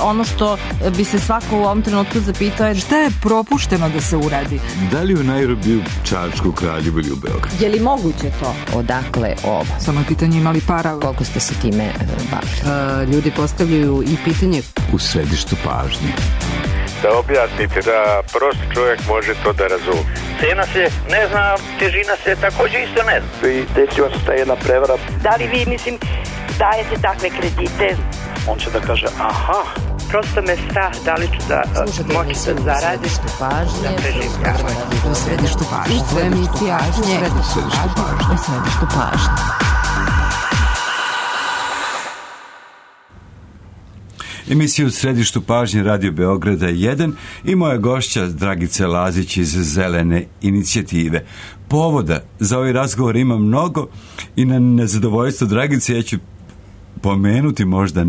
ono što bi se svako u ovom trenutku zapitao je šta je propušteno da se uradi? Da li u Nairobiju, Čačku, Kraljevu ili u Beogradu? Je li moguće to? Odakle ovo? Samo je pitanje imali para. Koliko ste se time bavili? Ljudi postavljaju i pitanje U središtu pažnje. Da objasnite da prosti čovjek može to da razumije. Cena se ne zna, težina se također isto ne zna. I desila se ta jedna prevara. Da li vi, dajete takve kredite? On će da kaže, aha. Prosto me strah, da li ću da moći da zaradim. U središtu pažnje. U središtu pažnje. Emisiju u središtu pažnje Radio Beograda 1 i moja gošća Dragica Lazić iz Zelene inicijative. Povoda za ovaj razgovor ima mnogo i na nezadovoljstvo Dragice ja ću pomenuti možda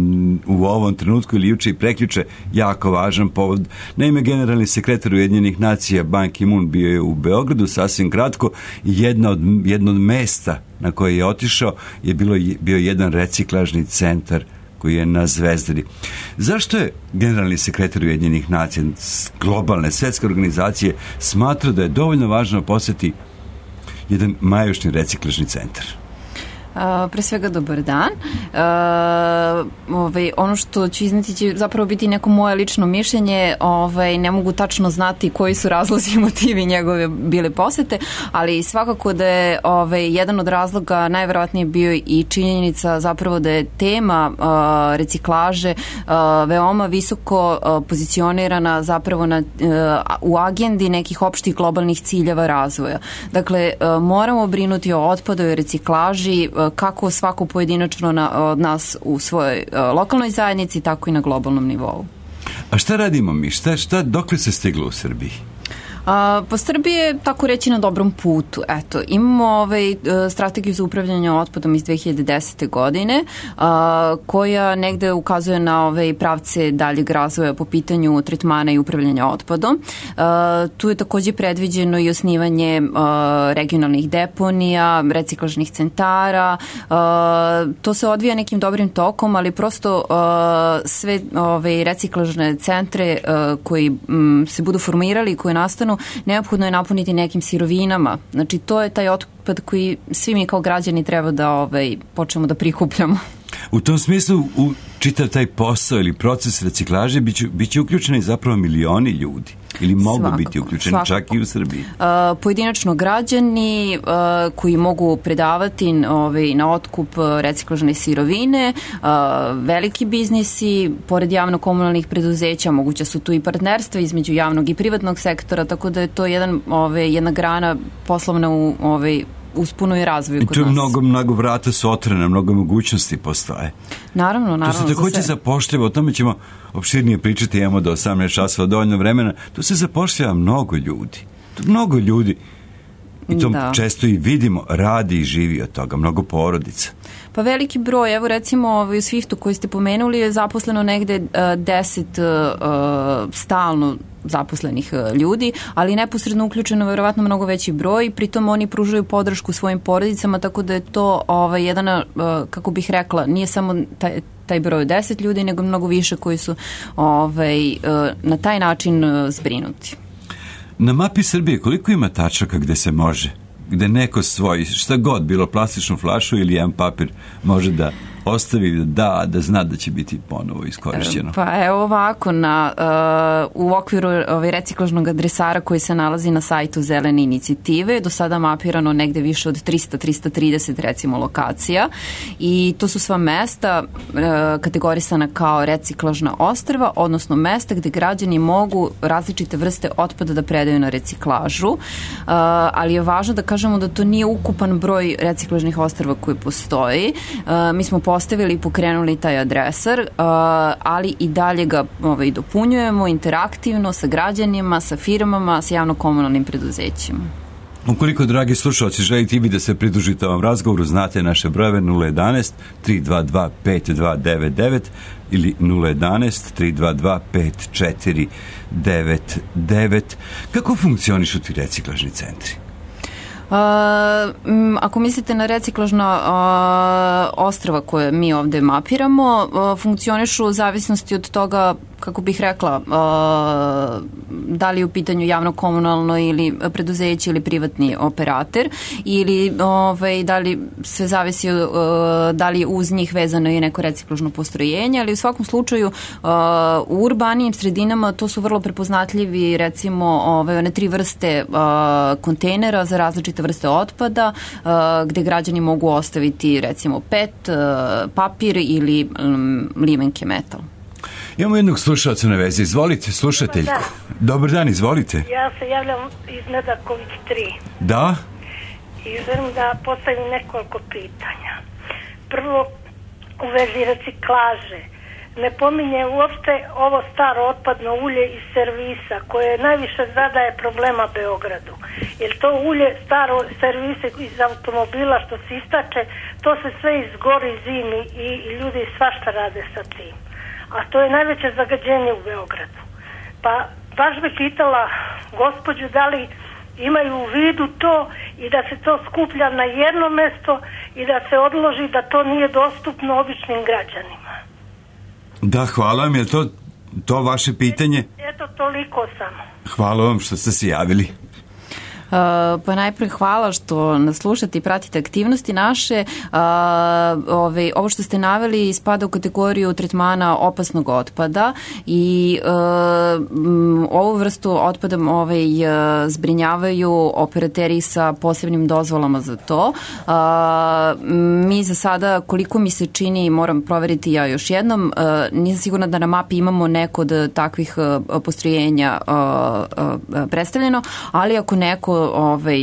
u ovom trenutku ili juče i prekjuče jako važan povod. Naime, generalni sekretar Ujedinjenih nacija Ban Ki-moon bio je u Beogradu sasvim kratko i jedno od mesta na koje je otišao je bio jedan reciklažni centar koji je na Zvezdari. Zašto je generalni sekretar Ujedinjenih nacija, globalne svetske organizacije, smatrao da je dovoljno važno posjeti jedan majušni reciklažni centar? Pre svega dobar dan. Ono što ću izneti će zapravo biti neko moje lično mišljenje. Ne mogu tačno znati koji su razlozi i motivi njegove bile posete, ali svakako da je jedan od razloga najverovatnije bio i činjenica zapravo da je tema reciklaže veoma visoko pozicionirana zapravo u agendi nekih opštih globalnih ciljeva razvoja. Dakle, moramo brinuti o otpadu i reciklaži kako svako pojedinačno od nas u svojoj lokalnoj zajednici, tako i na globalnom nivou. A šta radimo mi? Dokle se stiglo u Srbiji? Po Srbiji je, tako reći, na dobrom putu. Eto, imamo strategiju za upravljanje otpadom iz 2010. godine, koja negde ukazuje na pravce daljeg razvoja po pitanju tretmana i upravljanja otpadom. Tu je također predviđeno i osnivanje regionalnih deponija, reciklažnih centara. To se odvija nekim dobrim tokom, ali prosto sve reciklažne centre koji se budu formirali i koji nastanu, neophodno je napuniti nekim sirovinama. Znači, to je taj otpad koji svi mi kao građani treba da počnemo da prikupljamo. U tom smislu, u čitav taj posao ili proces reciklaže biće uključeni zapravo milioni ljudi. Ili mogu biti uključeni čak i u Srbiji? Pojedinačno građani koji mogu predavati na otkup reciklažne sirovine, veliki biznisi, pored javno-komunalnih preduzeća, moguće su tu i partnerstva između javnog i privatnog sektora, tako da je to jedna grana poslovna uspuno i razvoju kod nas. I tu mnogo vrata su otvorena, mnogo mogućnosti postoje. Naravno. To se također zapošljava, o tome ćemo opširnije pričati, imamo do 18 časova dovoljno vremena. Tu se zapošljava mnogo ljudi. I to često i vidimo, radi i živi od toga, mnogo porodica. Pa veliki broj, evo recimo u Swiftu koji ste pomenuli je zaposleno negde 10 stalno zaposlenih ljudi, ali neposredno uključeno verovatno mnogo veći broj, pritom oni pružaju podršku svojim porodicama, tako da je to jedan, kako bih rekla, nije samo taj broj 10 ljudi, nego mnogo više koji su na taj način zbrinuti. Na mapi Srbije koliko ima tačaka gde se može, gde neko svoj, šta god, bilo plastičnu flašu ili jedan papir može da ostavi, da zna da će biti ponovo iskorišćeno? Pa evo ovako, u okviru reciklažnog adresara koji se nalazi na sajtu Zelene inicijative, do sada mapirano negde više od 330 recimo lokacija i to su sva mesta kategorisana kao reciklažna ostrva, odnosno mesta gde građani mogu različite vrste otpada da predaju na reciklažu, ali je važno da kažemo da to nije ukupan broj reciklažnih ostrva koji postoji. Mi smo postavili i pokrenuli taj adresar, ali i dalje ga dopunjujemo interaktivno sa građanima, sa firmama, sa javno-komunalnim preduzećima. Ukoliko, dragi slušalci, želite i vi da se pridružite ovom razgovoru, znate naše brojeve 011-322-5299 ili 011-322-5499. Kako funkcionišu ti reciklažni centri? Ako mislite na reciklažna ostrva koje mi ovde mapiramo, funkcionišu u zavisnosti od toga, kako bih rekla, da li je u pitanju javno-komunalno ili preduzeće ili privatni operater, ili da li sve zavisi da li je uz njih vezano i neko reciklažno postrojenje, ali u svakom slučaju u urbanijim sredinama to su vrlo prepoznatljivi, recimo one 3 vrste kontejnera za različite vrste otpada, gde građani mogu ostaviti recimo PET, papir ili limenke metal. Imamo jednog slušalca na vezi. Izvolite, slušateljku. Dobar dan, izvolite. Ja se javljam iz Medaković 3. Da? I želim da postavim nekoliko pitanja. Prvo, u vezi reciklaže. Ne pominje uopšte ovo staro otpadno ulje iz servisa koje najviše zadaje problema Beogradu. Jer to ulje, staro servise iz automobila što se istače, to se sve izgori zimi i ljudi svašta rade sa tim. A to je najveće zagađenje u Beogradu. Pa baš bi pitala gospođu da li imaju u vidu to i da se to skuplja na jedno mesto i da se odloži da to nije dostupno običnim građanima. Da, hvala vam. Je to vaše pitanje? Eto, toliko samo. Hvala vam što ste se javili. Pa najprej hvala što nas slušate i pratite aktivnosti naše. Ovo što ste naveli spada u kategoriju tretmana opasnog otpada i ovu vrstu otpada zbrinjavaju operateri sa posebnim dozvolama za to. Mi za sada, koliko mi se čini, moram proveriti ja još jednom, nisam sigurna da na mapi imamo neko od takvih postrojenja predstavljeno, ali ako neko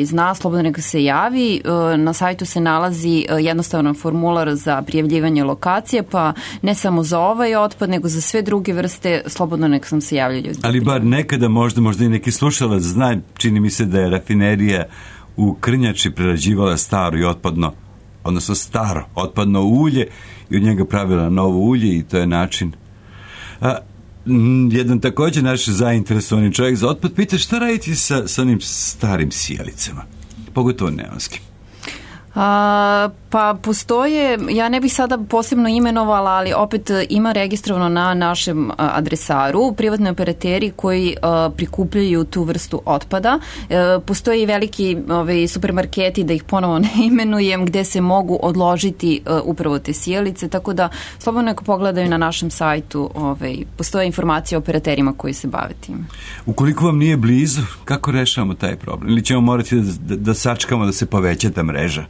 zna, slobodno neka se javi. Na sajtu se nalazi jednostavan formular za prijavljivanje lokacije, pa ne samo za ovaj otpad, nego za sve druge vrste, slobodno neka sam se javljaju. Ali bar nekada možda i neki slušalac zna, čini mi se da je rafinerija u Krnjači prerađivala staro i otpadno, odnosno staro otpadno ulje i od njega pravila novo ulje i to je način. Jedan također naš zainteresovani čovjek za otpad pita šta raditi sa onim starim sijalicama, pogotovo neonskim. Pa postoje, ja ne bih sada posebno imenovala, ali opet ima registrovano na našem adresaru privatni operateri koji prikupljaju tu vrstu otpada. Postoje i veliki supermarketi, da ih ponovo ne imenujem, gde se mogu odložiti upravo te sijalice, tako da slobodno neko pogledaju na našem sajtu, postoje informacije o operaterima koji se bave tim. Ukoliko vam nije blizu, kako rešavamo taj problem? Ili ćemo morati da sačekamo da se poveća ta mreža?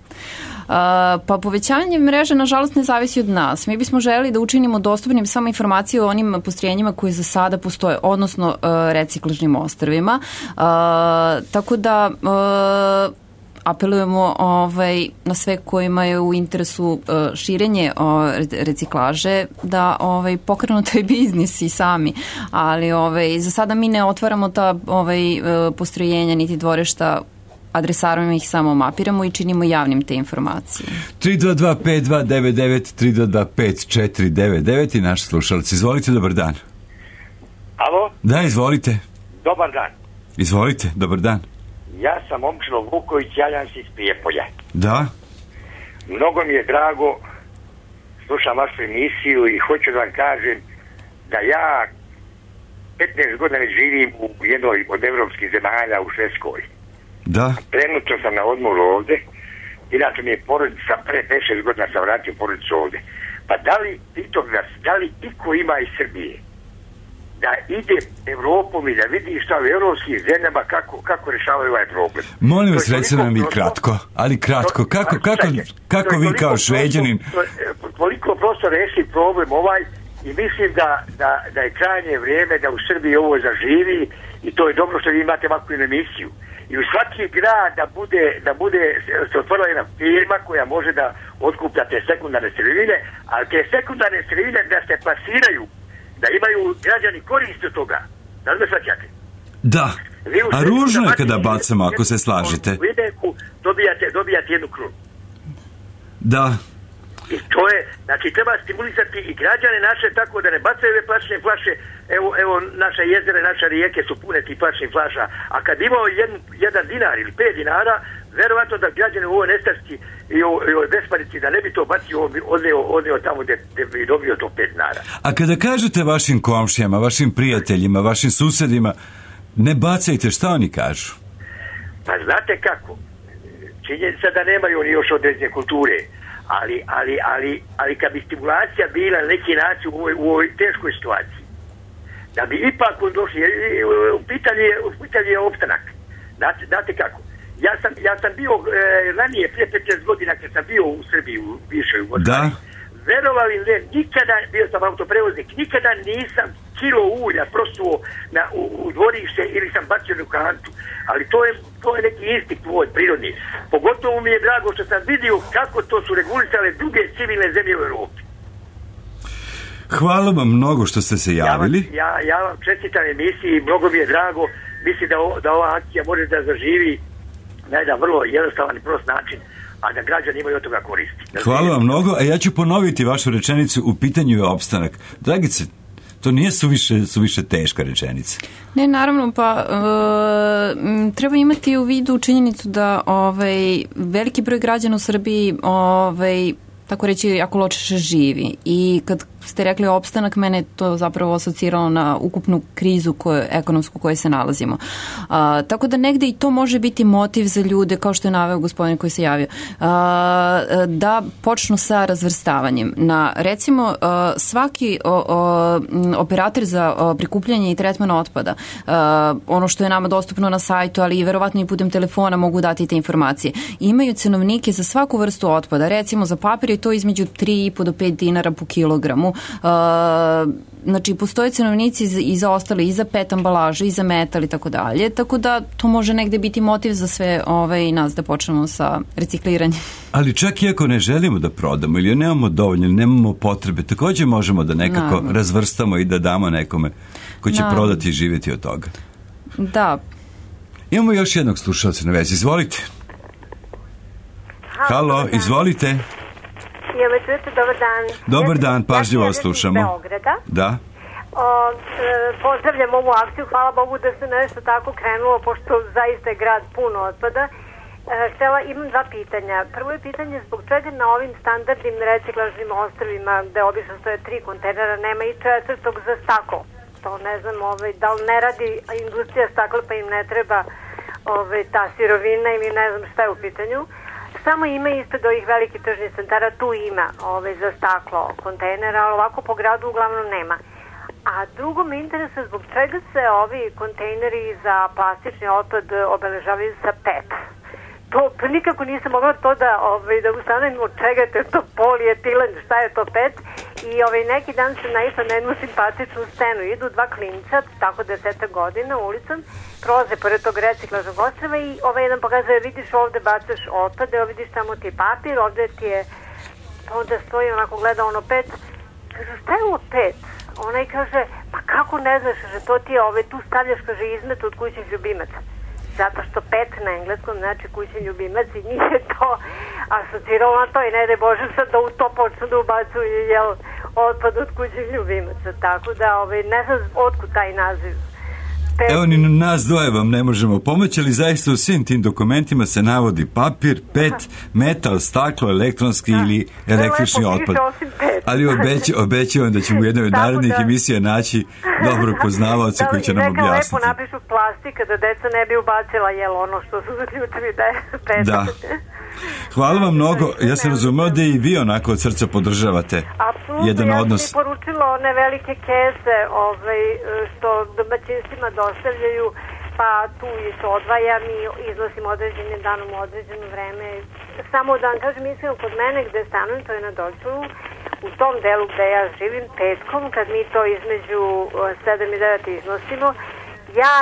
Pa povećanje mreže nažalost ne zavisi od nas. Mi bismo želeli da učinimo dostupnim samo informacije o onim postrojenjima koji za sada postoje, odnosno reciklažnim ostrvima. Tako da apelujemo na sve kojima je u interesu širenje reciklaže da pokrenu taj biznis i sami. Ali za sada mi ne otvaramo ta postrojenja niti dvorišta, adresarujemo ih, samo mapiramo i činimo javnim te informacije. 322-5299, 322-5499 i naš slušalac. Izvolite, dobar dan. Alo? Da, izvolite. Dobar dan. Izvolite, dobar dan. Ja sam Momčilo Vuković, javljam se iz Prijepolja. Da? Mnogo mi je drago, slušam vašu emisiju i hoću da vam kažem da ja 15 godina živim u jednoj od evropskih zemalja u Švedskoj. Da. Trenutno sam na odmoru ovde, inače mi je porodica, pre 5-6 godina sam vratio porodicu ovde. Pa da li iko ima iz Srbije da ide Evropom i da vidi šta u evropskim zemljama kako rešavaju ovaj problem? Molim vas, recite nam i kratko, ali kratko. Kako vi kao Šveđanin? Toliko prosto reši problem ovaj i mislim da je krajnje vrijeme da u Srbiji ovo zaživi i to je dobro što vi imate ovakvu emisiju. I u svaki grad da bude se otvorila jedna firma koja može da otkuplja te sekundarne sirovine, ali te sekundarne sirovine da se plasiraju, da imaju građani korist od toga. Da li me svaćate? Da. A ružno je kada bacamo, ako se slažete. U Videku dobijate jednu krunu. Da. I to je, znači treba stimulisati i građane naše tako da ne bacaju ove plastične flaše. Evo naša jezera, naše rijeke su pune tih plastičnih flaša, a kad imao 1 dinar ili 5 dinara, Verovatno da građani u ovoj nestašci i ovoj besparici da ne bi to bacio odneo tamo gde bi dobio to 5 dinara. A kada kažete vašim komšijama, vašim prijateljima, vašim susedima, ne bacajte, šta oni kažu? Pa znate kako? Činjenica da nemaju oni još određene kulture, ali kad bi stimulacija bila na neki način u ovoj teškoj situaciji, da bi ipak došli, u pitanju je opstanak. Znate kako? Ja sam bio ranije, prije 15 godina kad sam bio u Srbiji, u bivšoj Jugoslaviji. Verovali ne, nikada, bio sam autoprevoznik, nikada nisam kilo ulja prosuo u dvorište ili sam bacio u kantu. Ali to je neki instinkt tvoj prirodni. Pogotovo mi je drago što sam vidio kako to su regulisale druge civilne zemlje u Evropi. Hvala vam mnogo što ste se javili. Ja vam čestitam emisiji, mnogo mi je drago. Mislim da ova akcija može da zaživi na jedan vrlo jednostavan i prost način, a da građani imaju od toga koristi. Hvala vam mnogo, a ja ću ponoviti vašu rečenicu, u pitanju je opstanak. Dragice, to nije suviše teška rečenica. Ne, naravno, pa treba imati u vidu činjenicu da veliki broj građana u Srbiji tako reći, jako loše živi. I kad ste rekli opstanak, mene to zapravo asociralo na ukupnu krizu ekonomsku u kojoj se nalazimo. Tako da negde i to može biti motiv za ljude, kao što je naveo gospodin koji se javio, da počnu sa razvrstavanjem. Recimo, svaki operator za prikupljanje i tretman otpada, ono što je nama dostupno na sajtu, ali i verovatno i putem telefona mogu dati te informacije, imaju cenovnike za svaku vrstu otpada. Recimo, za papir je to između 3,5 do 5 dinara po kilogramu. Znači, postoje cenovnici i za ostale, i za PET ambalaže, i za metal i tako dalje, tako da to može negde biti motiv za sve nas da počnemo sa recikliranjem. Ali čak i ako ne želimo da prodamo ili nemamo dovoljno, ili nemamo potrebe, također možemo da nekako razvrstamo i da damo nekome ko će prodati i živjeti od toga. Da. Imamo još jednog slušalca na vezi, izvolite. Halo, izvolite. Dobar dan. Dobar dan, pažljivo vas slušamo. Ja sam iz Beograda. Da. Pozdravljam ovu akciju, hvala Bogu da se nešto tako krenulo, pošto zaista je grad puno otpada. Imam 2 pitanja. Prvo je pitanje zbog čega na ovim standardnim reciklažnim ostrvima, gde obično stoje 3 kontejnera, nema i 4. za staklo. To ne znam, da li ne radi industrija stakla pa im ne treba ta sirovina ili ne znam šta je u pitanju. Samo ima ispred ovih velikih tržnih centara, tu ima za staklo kontejnera, ali ovako po gradu uglavnom nema. A drugo me interesuje zbog čega se ovi kontejneri za plastični otpad obeležavaju sa PET. To nikako nisam mogla to da ustanovim od čega je to polietilen, šta je to PET. I neki dan sam naišla na jednu simpatičnu scenu. Idu 2 klinca, tako 10 godina, ulicom, prolaze pored tog reciklažnog ostrva i jedan pokazuje, vidiš ovde bacaš otpad, evo vidiš tamo ti papir, ovde ti je, onda stoji onako gleda PET. Kažu, šta je ovo PET? Onaj kaže, pa kako ne znaš, že to ti je tu stavljaš, kaže, izmet od kućnih ljubimaca. Zato što PET na engleskom znači kućni ljubimac i njih je to asociralo na to i ne daj Bože sad da u to počnu da ubacuju otpad od kućnih ljubimaca. Tako da ne znam otkud taj naziv. Evo, ni nas dvoje vam ne možemo pomoći, ali zaista u svim tim dokumentima se navodi papir, PET, metal, staklo, elektronski ili električni otpad. Ali obećavam da ćemo u jednoj od narednih emisija naći dobrog poznavaoca koji će nam objasniti. Neka lepo napišu plastika da deca ne bi ubacila ono što su zaključili da je PET. Da. Hvala vam mnogo. Ja sam razumeo da i vi onako od srca podržavate jedan odnos. Ja sam i poručila one velike kese što domaćinstvima dostavljaju, pa tu to odvajam i iznosim određenim danom u određeno vreme. Samo da vam kažem, mislim, kod mene gde stanujem, to je na Dorčulu, u tom delu gde ja živim, petkom, kad mi to između 7 i 9 iznosimo, ja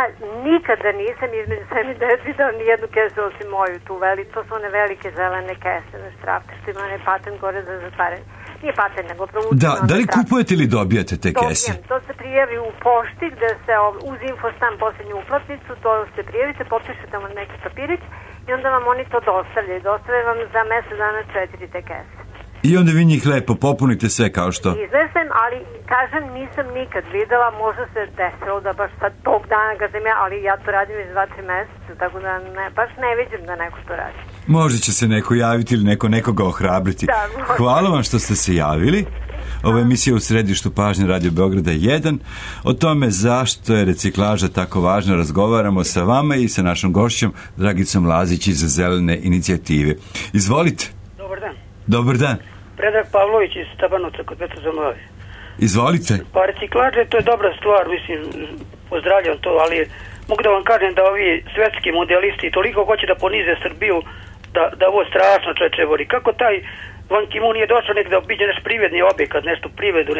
nikada nisam između 7 i 9 videla nijednu kesu osim moju tu to su one velike zelene kese na štrafte, što ima onaj patent gore za zatvaranje. Nije patent, nego provučeno. Da li kupujete ili dobijate te kese? Dobijem, to se prijavi u pošti gde se uz infostan posljednju uplatnicu, to se prijavite, potpišete vam neki papirić i onda vam oni to dostavljaju. Dostavljaju vam za mesec dana 4 te kese. I onda vi njih lepo popunite sve kao što? Iznesem, ali kažem nisam nikad videla, možda se desilo da baš sad tog dana kad sam ja, ali ja to radim iz 2-3 meseca, tako da baš ne vidim da neko to radi. Možda će se neko javiti ili nekoga ohrabriti. Da, hvala vam što ste se javili. Ova emisija u središtu pažnje Radio Beograda 1. O tome zašto je reciklaža tako važna razgovaramo sa vama i sa našom gošćom Dragicom Lazić iz Zelene inicijative. Izvolite. Dobar dan. Dobar dan. Predrag Pavlović iz Tabanovca kod Petra Zamlave. Izvolite. Pa reciklaža to je dobra stvar, mislim, pozdravljam to, ali mogu da vam kažem da ovi svetski modelisti toliko hoće da ponize Srbiju da ovo strašno čovječe. Kako taj Ban Ki-moon nije došao nek da obiđe naš privredni objekat, nešto privredu,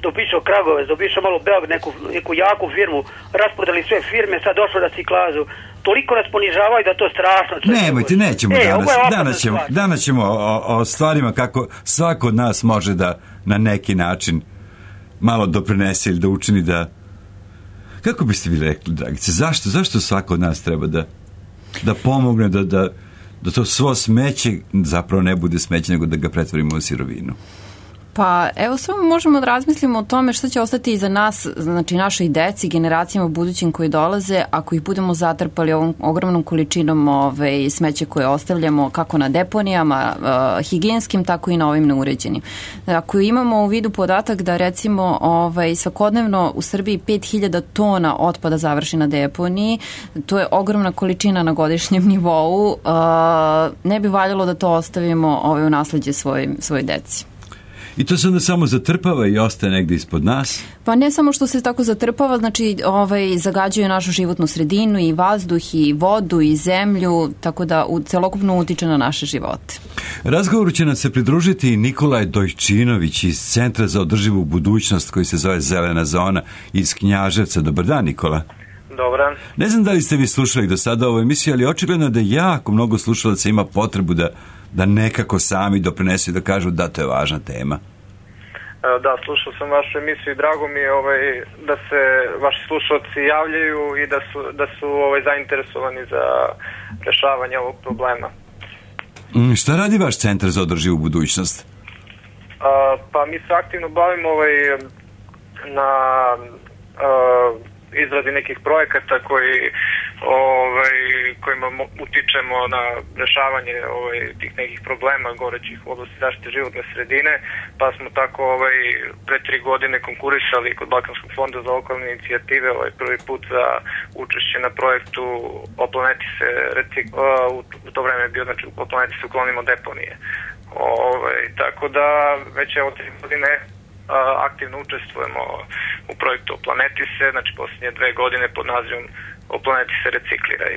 da obišao Kragovec, da obišao malo Beograd, neku jaku firmu, raspodali sve firme, sad došao da reciklažu. Toliko nas ponižavaju da to strašno. Nemojte, nećemo danas ćemo o stvarima kako svako od nas može da na neki način malo doprinese ili da učini da... Kako biste vi rekli, Dragice, zašto svako od nas treba da pomogne da to svo smeće zapravo ne bude smeće, nego da ga pretvorimo u sirovinu? Pa evo samo možemo da razmislimo o tome što će ostati iza nas, znači našoj deci, generacijama budućim koji dolaze, ako ih budemo zatrpali ovom ogromnom količinom smeća koje ostavljamo kako na deponijama, higijenskim, tako i na ovim neuređenim. Ako imamo u vidu podatak da recimo svakodnevno u Srbiji 5000 tona otpada završi na deponiji, to je ogromna količina na godišnjem nivou, ne bi valjalo da to ostavimo u nasleđe svojoj deci. I to se onda samo zatrpava i ostaje negdje ispod nas? Pa ne samo što se tako zatrpava, znači zagađuje našu životnu sredinu i vazduh i vodu i zemlju, tako da celokupno utiče na naše živote. Razgovoru će nam se pridružiti i Nikolaj Dojčinović iz Centra za održivu budućnost koji se zove Zelena zona iz Knjaževca. Dobar dan, Nikola. Dobar. Ne znam da li ste vi slušali do sada ovu emisiju, ali očigledno da jako mnogo slušalaca ima potrebu da nekako sami doprinesu i da kažu da to je važna tema. Da, slušao sam vašu emisiju i drago mi je da se vaši slušalci javljaju i da su zainteresovani za rešavanje ovog problema. Šta radi vaš Centar za održivu budućnost? Pa mi se aktivno bavimo na izradi nekih projekata kojima utičemo na rešavanje tih nekih problema gorećih u oblasti zaštite životne sredine, pa smo tako pre 3 godine konkurisali kod Balkanskog fonda za lokalne inicijative prvi put za učešće na projektu O planeti se u to vreme je bio, znači O planeti se uklonimo deponije. Tako da već 3 godine aktivno učestvujemo u projektu O planeti se, znači posljednje 2 godine pod nazivom O planeti se recikliraj.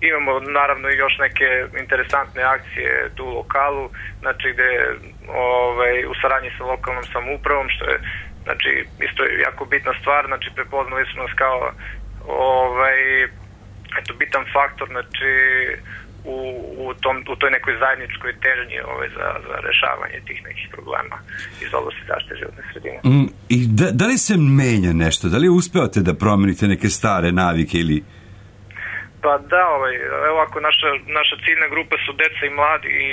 Imamo naravno i još neke interesantne akcije tu u lokalu, znači gde u saradnji sa lokalnom samoupravom, što je znači isto jako bitna stvar, znači prepoznali smo nas kao bitan faktor, znači u toj nekoj zajedničkoj težnji za rešavanje tih nekih problema iz oblasti zaštite životne sredine. I da li se menja nešto? Da li uspevate da promenite neke stare navike ili... Pa da, evo ako naša ciljna grupa su deca i mladi i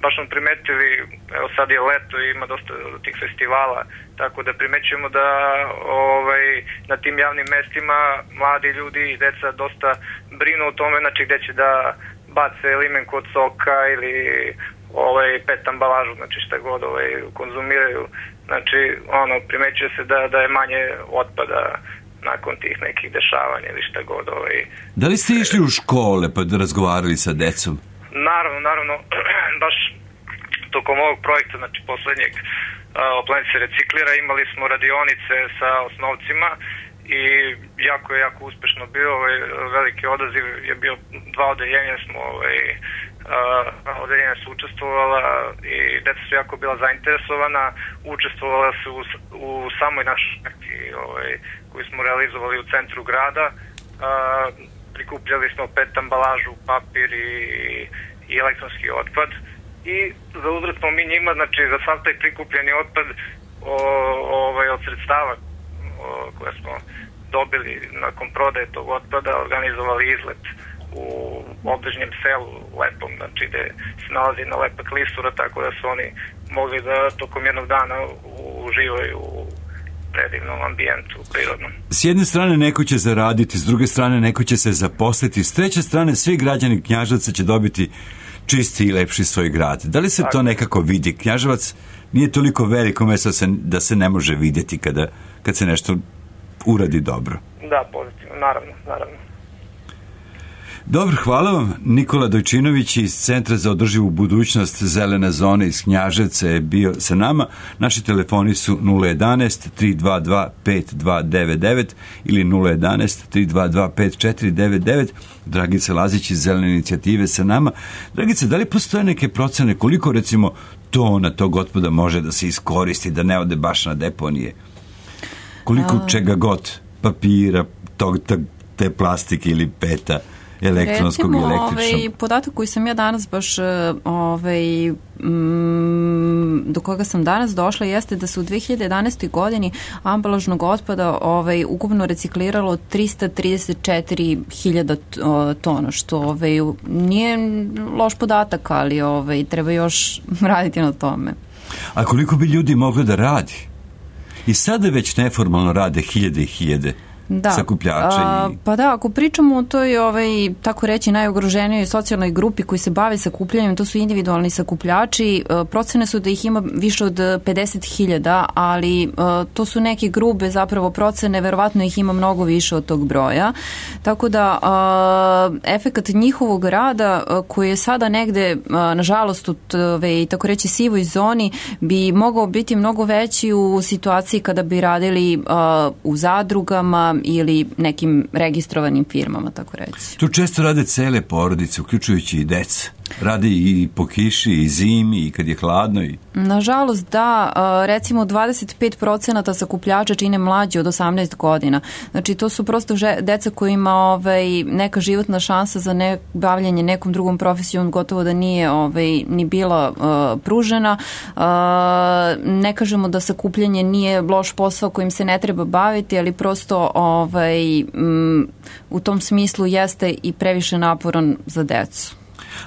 baš smo primetili, evo sad je leto i ima dosta tih festivala, tako da primećujemo da na tim javnim mestima mladi ljudi i deca dosta brinu o tome, znači gde će da bace limenku od soka ili pet ambalažu, znači šta god konzumiraju, znači primećuje se da je manje otpada nakon tih nekih dešavanja ili šta god. Da li ste išli u škole pa da razgovarali sa decom? Naravno, baš tokom ovog projekta, znači poslednjeg O planeti se reciklira, imali smo radionice sa osnovcima i jako uspešno bio, veliki odaziv je bio, 2 odeljenja smo odeljenja su učestvovala i deca su jako bila zainteresovana, učestvovala su u samoj našoj akciji koju smo realizovali u centru grada, prikupljali smo PET ambalažu, papir i elektronski otpad i za uzvrat smo mi njima, znači za sav taj prikupljeni otpad od sredstava koje smo dobili nakon prodaje tog otpada organizovali izlet u obližnjem selu Lepom, znači gde se nalazi jedna lepa klisura, tako da su oni mogli da tokom jednog dana uživaju u predivnom ambijentu prirodnom. S jedne strane neko će zaraditi, s druge strane neko će se zaposliti, s treće strane svi građani Knjaževca će dobiti čisti i lepši svoj grad. Da li se to nekako vidi? Knjaževac nije toliko veliko mesto da se ne može vidjeti kad se nešto uradi dobro. Da, pozitivno, naravno. Dobro, hvala vam. Nikola Dojčinović iz Centra za održivu budućnost Zelene zone iz Knjaževca je bio sa nama. Naši telefoni su 011-322-5299 ili 011-322-5499. Dragica Lazić iz Zelene inicijative sa nama. Dragica, da li postoje neke procene koliko recimo tona tog otpada može da se iskoristi, da ne ode baš na deponije? Koliko čega god, papira, te plastike ili peta, elektronskog i električnog? Recimo, podatak koji sam ja danas baš do koga sam danas došla jeste da se u 2011. godini ambalažnog otpada ukupno recikliralo 334.000 tona, što nije loš podatak, ali treba još raditi na tome. A koliko bi ljudi moglo da radi? I sada već neformalno rade hiljade i hiljade sakupljača. Pa da, ako pričamo o toj, tako reći, najugroženijoj socijalnoj grupi koji se bave sakupljanjem, to su individualni sakupljači. Procene su da ih ima više od 50.000, ali to su neke grube zapravo procene, verovatno ih ima mnogo više od tog broja. Tako da efekat njihovog rada koji je sada negde, nažalost, u tako reći sivoj zoni, bi mogao biti mnogo veći u situaciji kada bi radili u zadrugama ili nekim registrovanim firmama, tako reći. Tu često rade cele porodice, uključujući i deca. Radi i po kiši, i zimi, i kad je hladno. Nažalost, da. Recimo 25% sakupljača čine mlađi od 18 godina. Znači, to su prosto deca kojima neka životna šansa za bavljanje nekom drugom profesijom gotovo da nije ni bila pružena. Ne kažemo da sakupljanje nije loš posao kojim se ne treba baviti, ali prosto u tom smislu jeste i previše naporan za decu.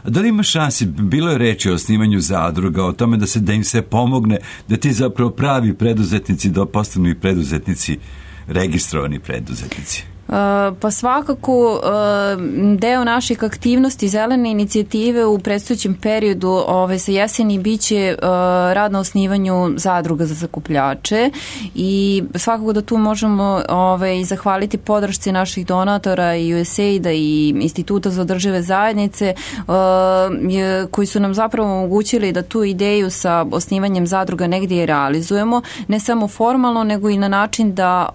A da li ima šansi, bilo je reči o osnivanju zadruga, o tome da im se pomogne, da ti zapravo pravi preduzetnici da postanu i preduzetnici, registrovani preduzetnici? Pa svakako deo naših aktivnosti Zelene inicijative u predstojećem periodu sa jeseni biće rad na osnivanju zadruga za sakupljače i svakako da tu možemo zahvaliti podršci naših donatora i USAID-a i Instituta za održive zajednice koji su nam zapravo omogućili da tu ideju sa osnivanjem zadruga negdje i realizujemo, ne samo formalno nego i na način da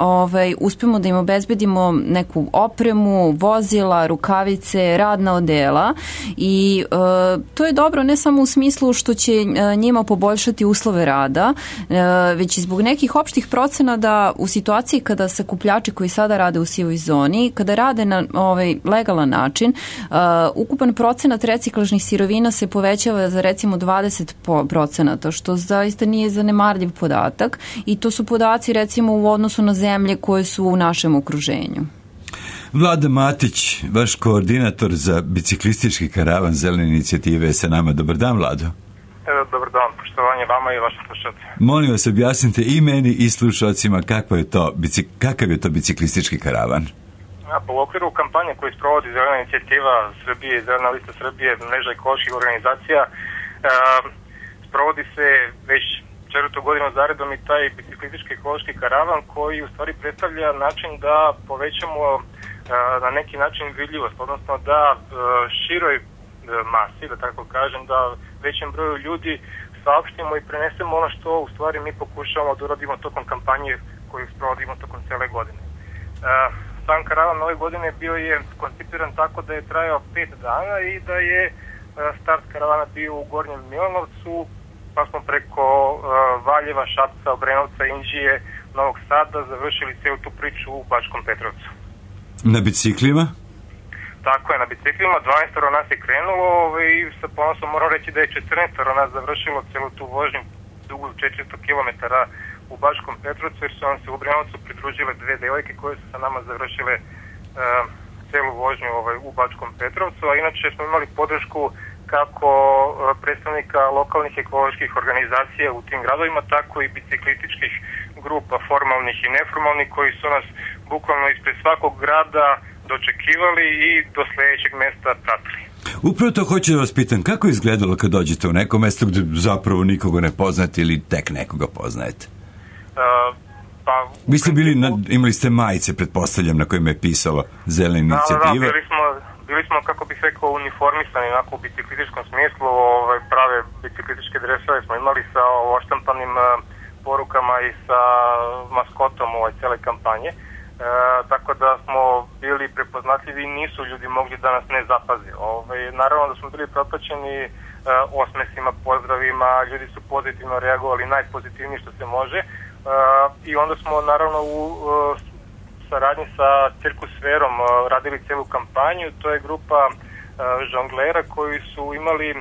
uspemo da im obezbedimo neku opremu, vozila, rukavice, radna odela i to je dobro ne samo u smislu što će njima poboljšati uslove rada, već i zbog nekih opštih procena da u situaciji kada sakupljači koji sada rade u sivoj zoni, kada rade na legalan način, ukupan procenat reciklažnih sirovina se povećava za recimo 20%, što zaista nije zanemarljiv podatak i to su podaci recimo u odnosu na zemlje koje su u našem okruženju. Vlada Matić, vaš koordinator za biciklistički karavan Zelene inicijative je sa nama. Dobar dan, Vlado. Dobar dan, poštovanje vama i vašim slušalcima. Molim vas, objasnite i meni i slušalcima kakav je to biciklistički karavan. U okviru kampanje koju sprovodi Zelena inicijativa Srbije i Zelena lista Srbije, mreža ekoloških organizacija, sprovodi se već 4. godinu zaredom i taj biciklistički ekološki karavan koji u stvari predstavlja način da povećamo na neki način vidljivost, odnosno da široj masi, da tako kažem, da većem broju ljudi saopštimo i prenesemo ono što u stvari mi pokušavamo da uradimo tokom kampanje koju sprovodimo tokom cele godine. Sam karavan ove godine bio je koncipiran tako da je trajao 5 dana i da je start karavana bio u Gornjem Milanovcu, pa smo preko Valjeva, Šapca, Obrenovca, Inđije, Novog Sada završili celu tu priču u Bačkom Petrovcu. Na biciklima? Tako je, na biciklima. 12 nas je krenulo i sa ponosom moram reći da je 14 nas završilo celu tu vožnju dugu 400 km u Bačkom Petrovcu, jer su nam se u Obrenovcu pridružile 2 devojke koje su sa nama završile celu vožnju u Bačkom Petrovcu, a inače smo imali podršku kako predstavnika lokalnih ekoloških organizacija u tim gradovima, tako i biciklističkih grupa, formalnih i neformalnih, koji su nas bukvalno ispred svakog grada dočekivali i do sledećeg mesta pratili. Upravo to hoću da vas pitam, kako je izgledalo kad dođete u neko mesto gde zapravo nikoga ne poznate ili tek nekoga poznajete? Vi ste bili, imali ste majice, pretpostavljam, na kojima je pisalo Zelena inicijativa. Bili smo, kako bih rekao, uniformisani onako u biciklističkom smislu, prave biciklističke dresove smo imali sa oštampanim porukama i sa maskotom cele kampanje. Tako da smo bili prepoznatljivi i nisu ljudi mogli da nas ne zapaze. Naravno da smo bili propraćeni osmesima, pozdravima, ljudi su pozitivno reagovali, najpozitivniji što se može. I onda smo naravno u saradnji sa Cirkusferom radili celu kampanju. To je grupa žonglera koji su imali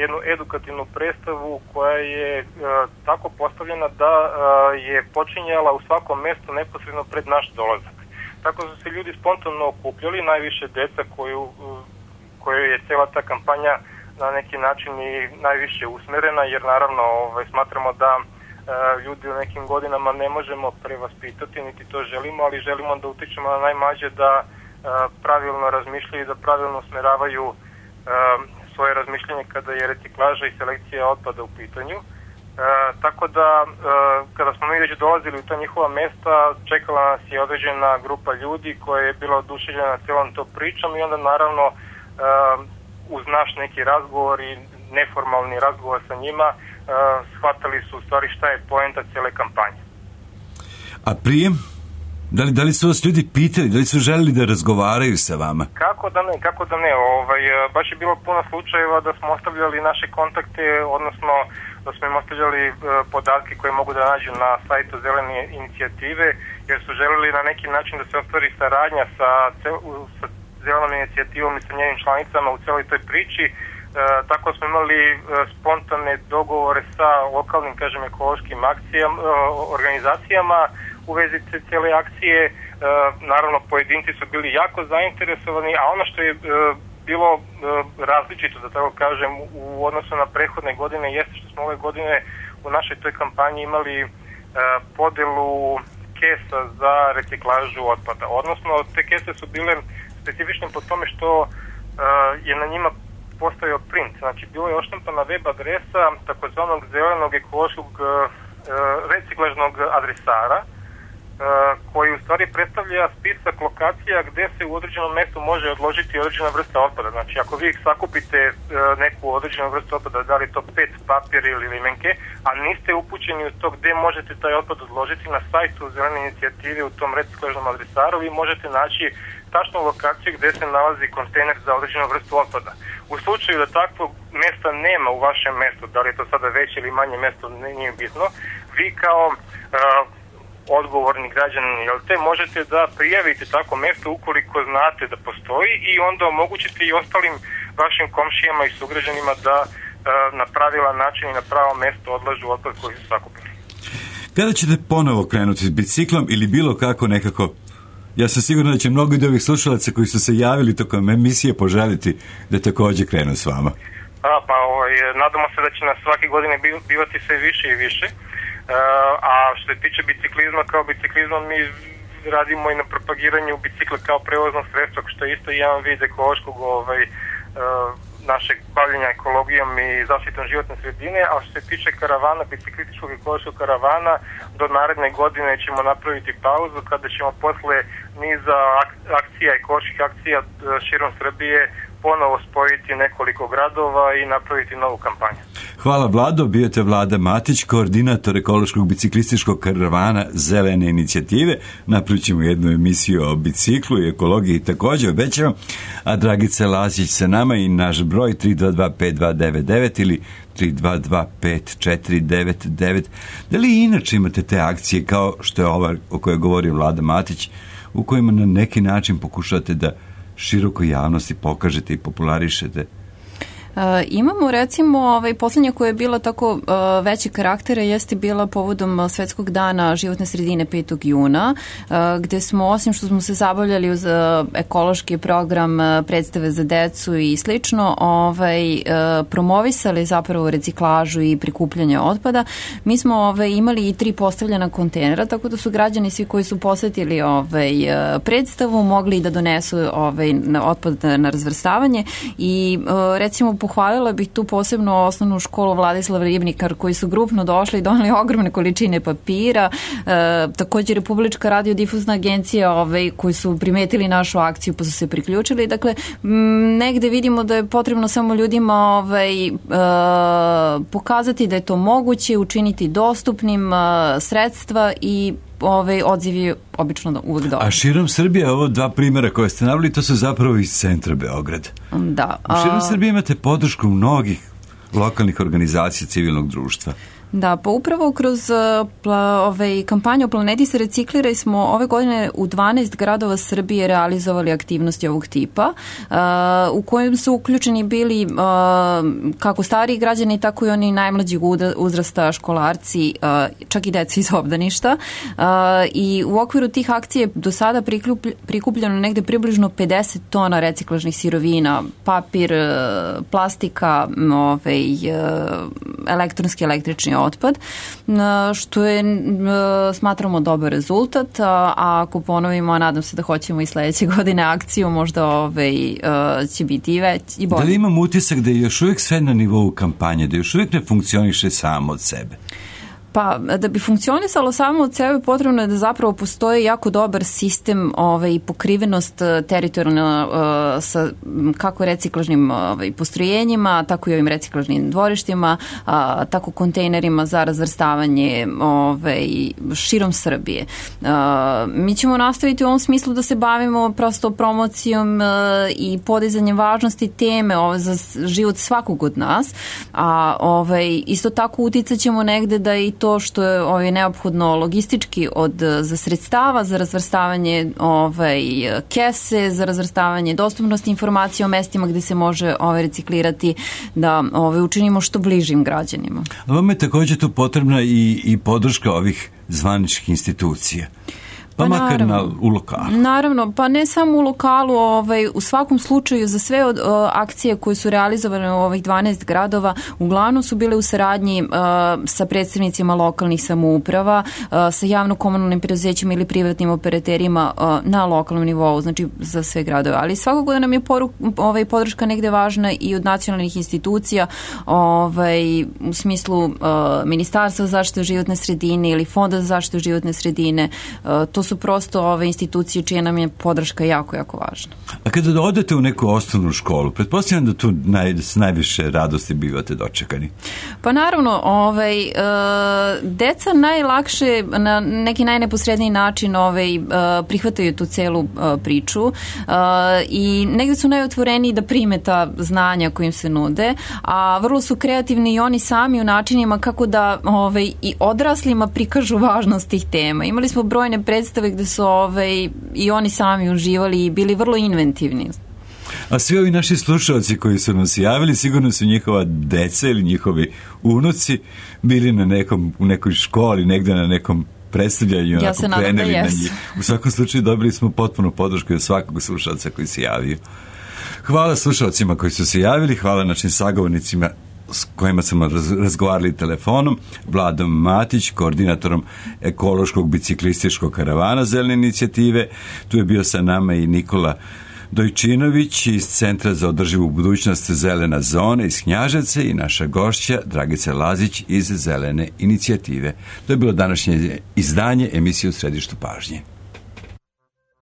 jednu edukativnu predstavu koja je tako postavljena da je počinjala u svakom mestu neposredno pred naš dolazak. Tako su se ljudi spontano okupljali, najviše deca koju je cela ta kampanja na neki način i najviše usmerena, jer naravno smatramo da ljudi u nekim godinama ne možemo prevaspitati, niti to želimo, ali želimo da utičemo na najmlađe da pravilno razmišljaju i da pravilno usmeravaju svoje razmišljanje kada je reciklaža i selekcija otpada u pitanju. Tako da, kada smo mi već dolazili u ta njihova mesta, čekala nas je određena grupa ljudi koja je bila oduševljena celom to pričom i onda naravno uz naš neki razgovor i neformalni razgovor sa njima shvatali su u stvari šta je poenta cijele kampanje. A prije? Da li su vas ljudi pitali, da li su želeli da razgovaraju sa vama? Kako da ne. Baš je bilo puno slučajeva da smo ostavljali naše kontakte, odnosno da smo im ostavljali podatke koje mogu da nađu na sajtu Zelene inicijative, jer su želeli na neki način da se ostvari saradnja sa Zelenom inicijativom i sa njenim članicama u celoj toj priči. Tako smo imali spontane dogovore sa lokalnim, kažem, ekološkim organizacijama u vezi cijele akcije. Naravno, pojedinci su bili jako zainteresovani, a ono što je bilo različito, da tako kažem, u odnosu na prethodne godine jeste što smo ove godine u našoj toj kampanji imali podelu kesa za reciklažu otpada. Odnosno, te kese su bile specifične po tome što je na njima postojao print. Znači, bilo je oštampana web adresa takozvanog zelenog ekološkog reciklažnog adresara, koji u stvari predstavlja spisak lokacija gde se u određenom mestu može odložiti određena vrsta otpada. Znači, ako vi sakupite neku određenu vrstu otpada, da li to pet, papir ili limenke, a niste upućeni u to gde možete taj otpad odložiti, na sajtu Zelene inicijative u tom reciklažnom adresaru vi možete naći tačnu lokaciju gde se nalazi kontejner za određenu vrstu otpada. U slučaju da takvog mesta nema u vašem mestu, da li je to sada veće ili manje mesto, nije bitno, vi kao odgovorni građanin, možete da prijavite tako mesto ukoliko znate da postoji i onda omogućite i ostalim vašim komšijama i sugrađanima da na pravilan način i na pravo mesto odlažu otpad koji su sakupili. Kada ćete ponovo krenuti s biciklom ili bilo kako nekako? Ja sam siguran da će mnogi od ovih slušalaca koji su se javili tokom emisije poželiti da takođe krenu s vama. Nadamo se da će nas svake godine bivati sve više i više. A što se tiče biciklizma, kao biciklizmom mi radimo i na propagiranju bicikla kao prevoznog sredstva, što je isto jedan vid ekološkog našeg bavljenja ekologijom i zaštitom životne sredine, a što se tiče karavana, biciklističkog ekološkog karavana, do naredne godine ćemo napraviti pauzu kada ćemo posle niza akcija, ekoloških akcija širom Srbije ponovo spojiti nekoliko gradova i napraviti novu kampanju. Hvala Vlado, bio te Vlada Matić, koordinator ekološkog biciklističkog karavana Zelene inicijative. Napravit ćemo jednu emisiju o biciklu i ekologiji također, obećavam. A Dragica Lazić sa nama i naš broj 322-5299 ili 322-5499. Da li inače imate te akcije kao što je ova o kojoj govori Vlada Matić, u kojima na neki način pokušate da širokoj javnosti pokažete i popularišete? Imamo recimo poslednja koja je bila tako veće karaktere jeste bila povodom Svetskog dana životne sredine 5. juna, gde smo, osim što smo se zabavljali uz ekološki program, predstave za decu i slično, promovisali zapravo reciklažu i prikupljanje otpada. Mi smo imali i 3 postavljena kontejnera, tako da su građani svi koji su posetili predstavu mogli da donesu otpad na razvrstavanje i recimo pohvalila bih tu posebno osnovnu školu Vladislav Ribnikar koji su grupno došli i doneli ogromne količine papira, također Republička radiodifuzna agencija koji su primetili našu akciju pa su se priključili. Dakle, negde vidimo da je potrebno samo ljudima pokazati da je to moguće, učiniti dostupnim sredstva i odziv je obično uvek dobar. A širom Srbije, ovo 2 primjera koje ste naveli, to su zapravo iz centra Beograda. Da. Širom Srbije imate podršku mnogih lokalnih organizacija civilnog društva. Da, pa upravo kroz kampanju Planeti se reciklira smo ove godine u 12 gradova Srbije realizovali aktivnosti ovog tipa, u kojem su uključeni bili kako stariji građani, tako i oni najmlađeg uzrasta, školarci, čak i deca iz obdaništa. I u okviru tih akcija do sada prikupljeno negde približno 50 tona reciklažnih sirovina, papir, plastika, elektronski, električni otpad, što je, smatramo, dobar rezultat, a ako ponovimo, a nadam se da hoćemo i sledeće godine akciju, možda će biti i već i bolje. Da li imam utisak da je još uvijek sve na nivou kampanje, da još uvijek ne funkcioniše samo od sebe? Pa, da bi funkcionisalo samo od sebe, potrebno je da zapravo postoji jako dobar sistem i pokrivenost teritorijalna sa kako reciklažnim postrojenjima, tako i ovim reciklažnim dvorištima, tako kontejnerima za razvrstavanje širom Srbije. Mi ćemo nastaviti u ovom smislu da se bavimo prosto promocijom i podizanjem važnosti teme za život svakog od nas, a isto tako uticat ćemo negde da i to što je neophodno logistički za sredstava, za razvrstavanje kese, za razvrstavanje dostupnosti informacija o mestima gde se može reciklirati, da učinimo što bližim građanima. Vam je također tu potrebna i podrška ovih zvaničnih institucija. Pa makar u lokalu. Naravno, pa ne samo u lokalu, u svakom slučaju za sve akcije koje su realizovane u ovih 12 gradova, uglavnom su bile u saradnji sa predstavnicima lokalnih samouprava, sa javno-komunalnim preduzećima ili privatnim operaterima na lokalnom nivou, znači za sve gradove. Ali svakako da nam je podrška negde važna i od nacionalnih institucija, u smislu Ministarstva za zaštitu životne sredine ili Fonda za zaštitu životne sredine. To su prosto ove institucije čija nam je podrška jako, jako važna. A kada odete u neku osnovnu školu, pretpostavljam da tu s najviše radosti bivate dočekani. Pa naravno, deca najlakše na neki najneposredniji način prihvataju tu celu priču i negde su najotvoreniji da prime ta znanja kojim se nude, a vrlo su kreativni i oni sami u načinima kako da i odraslima prikažu važnost tih tema. Imali smo brojne predstave gde su i oni sami uživali i bili vrlo inventivni. A svi ovi naši slušalci koji su nam se javili, sigurno su njihova deca ili njihovi unuci bili u nekoj školi, negde na nekom predstavljanju, ja se nadam da jesu. U svakom slučaju dobili smo potpuno podršku od svakog slušalca koji se javio. Hvala slušalcima koji su se javili, hvala našim sagovornicima s kojima smo razgovarali telefonom, Vladom Matić, koordinatorom ekološkog biciklističkog karavana Zelene inicijative. Tu je bio sa nama i Nikola Dojčinović iz Centra za održivu budućnost Zelena zona iz Knjaževca i naša gošća Dragica Lazić iz Zelene inicijative. To je bilo današnje izdanje emisije U središtu pažnje.